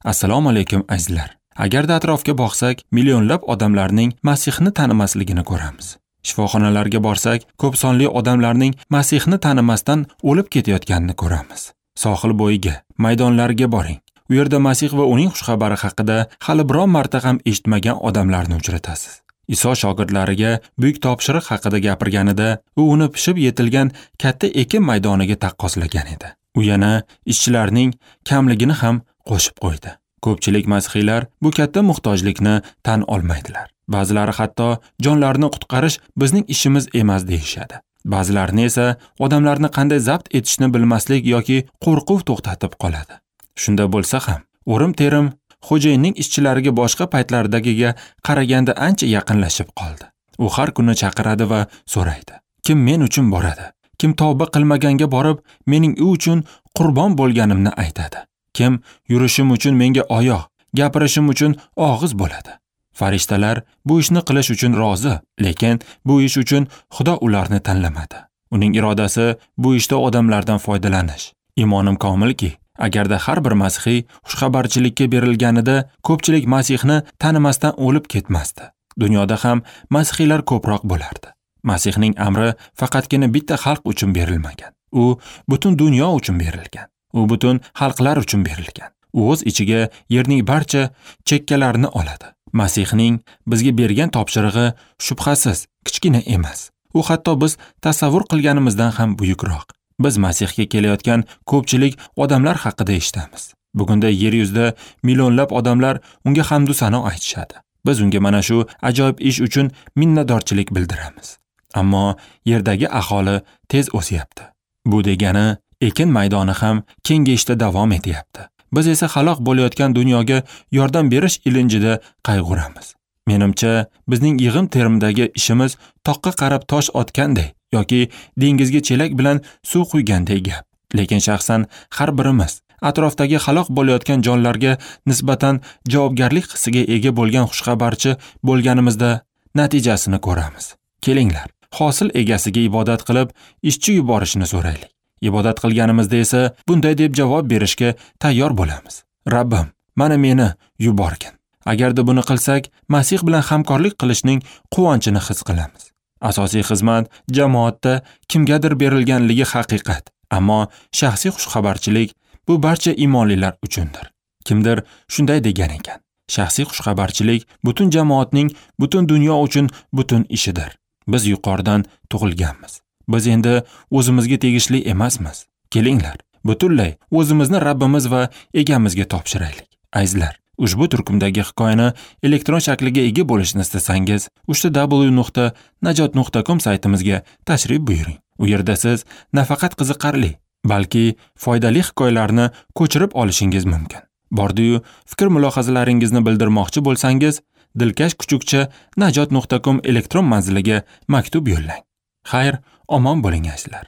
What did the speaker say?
Assalomu alaykum azizlar. Agarda atrofga boqsak, millionlab odamlarning Masihni tanimasligini ko'ramiz. Shifoxonalarga borsak, ko'p sonli odamlarning Masihni tanimasdan o'lib ketayotganini ko'ramiz. Sohil bo'yiga, maydonlarga boring. U yerda Masih va uning xushxabari haqida hali biron marta ham eshitmagan odamlarni uchratasiz. Iso shogirdlariga buyuk topshiriq haqida gapirganida, u uni pishib yetilgan katta ekin maydoniga taqqoslagan edi. U yana ishchilarning kamligini ham qo'shib qo'ydi. Ko'pchilik masihiylar bu katta muhtojlikni tan olmaydilar. Ba'zilari hatto jonlarni qutqarish bizning ishimiz emas deyishadi. Ba'zilarini esa odamlarni qanday zabt etishni bilmaslik yoki qo'rquv to'xtatib qoladi. Shunda bo'lsa ham, o'rim-terim xo'jayinning ishchilariga boshqa paytlardagiga qaraganda ancha yaqinlashib qoldi. U har kuni chaqiradi va so'raydi: Kim men uchun boradi? Kim tavba qilmaganga borib, mening u uchun qurbon bo'lganimni aytadi? Kim yurishim uchun menga oyoq, gapirishim uchun og'iz bo'ladi? Farishtalar bu ishni qilish uchun rozi, lekin bu ish uchun Xudo ularni tanlamadi. Uning irodasi bu ishda odamlardan foydalanish. Imonim komilki, agarda har bir masihiy xushxabarchilikka berilganida ko'pchilik Masihni tanimasdan o'lib ketmasdi. Dunyoda ham masihiylar ko'proq bo'lardi. Masihning amri faqatgina bitta xalq uchun berilmagan. U butun dunyo uchun berilgan. U butun xalqlar uchun berilgan. U o'z ichiga yerning barcha chekkalarini oladi. Masihning bizga bergan topshirig'i shubhasiz kichkina emas. U hatto biz tasavvur qilganimizdan ham buyukroq. Biz Masihga kelayotgan ko'pchilik odamlar haqida eshitamiz. Bugunda yer yuzida millionlab odamlar unga hamd va sano aytishadi. Biz unga mana shu ajoyib ish uchun minnatdorchilik bildiramiz. Ammo yerdagi aholi tez o'syapti. Bu degani ekin maydoni ham kengayishda davom etyapti. Biz esa halok bo'layotgan dunyoga yordam berish ilinjida qayg'uramiz. Menimcha, bizning yig'im-terimdagi ishimiz toqqa qarab tosh otganday yoki dengizga chelak bilan suv quyganday gap. Lekin shaxsan har birimiz atrofdagi halok bo'layotgan jonlarga nisbatan javobgarlik hissiga ega bo'lgan xushxabarchi bo'lganimizda natijasini ko'ramiz. Kelinglar, hosil egasiga ibodat qilib, ishchi yuborishini so'raylik. Ibodat qilganimizda esa bunday deb javob berishga tayyor bo'lamiz: Rabbim, mana meni yuborgin. Agarda buni qilsak, Masih bilan hamkorlik qilishning quvonchini his qilamiz. Asosiy xizmat jamoatda kimgadir berilganligi haqiqat, ammo shaxsiy xushxabarchilik bu barcha iymonlilar uchundir. Kimdir shunday degan ekan: shaxsiy xushxabarchilik butun jamoatning, butun dunyo uchun butun ishidir. Biz yuqoridan tug'ilganmiz. Biz endi o'zimizga tegishli emasmiz. Kelinglar, butunlay o'zimizni Rabbimiz va egamizga topshiraylik. Azizlar, ushbu turkumdagi hikoyani elektron shakliga ega bo'lishni istasangiz, www.najot.com saytimizga tashrif buyuring. U yerda siz nafaqat qiziqarli, balki foydali hikoyalarni ko'chirib olishingiz mumkin. Bordi-yu, fikr mulohazalaringizni bildirmoqchi bo'lsangiz, dilkash@najot.com elektron manziliga maktub yo'llang. Xayr, omon bo'ling azizlar.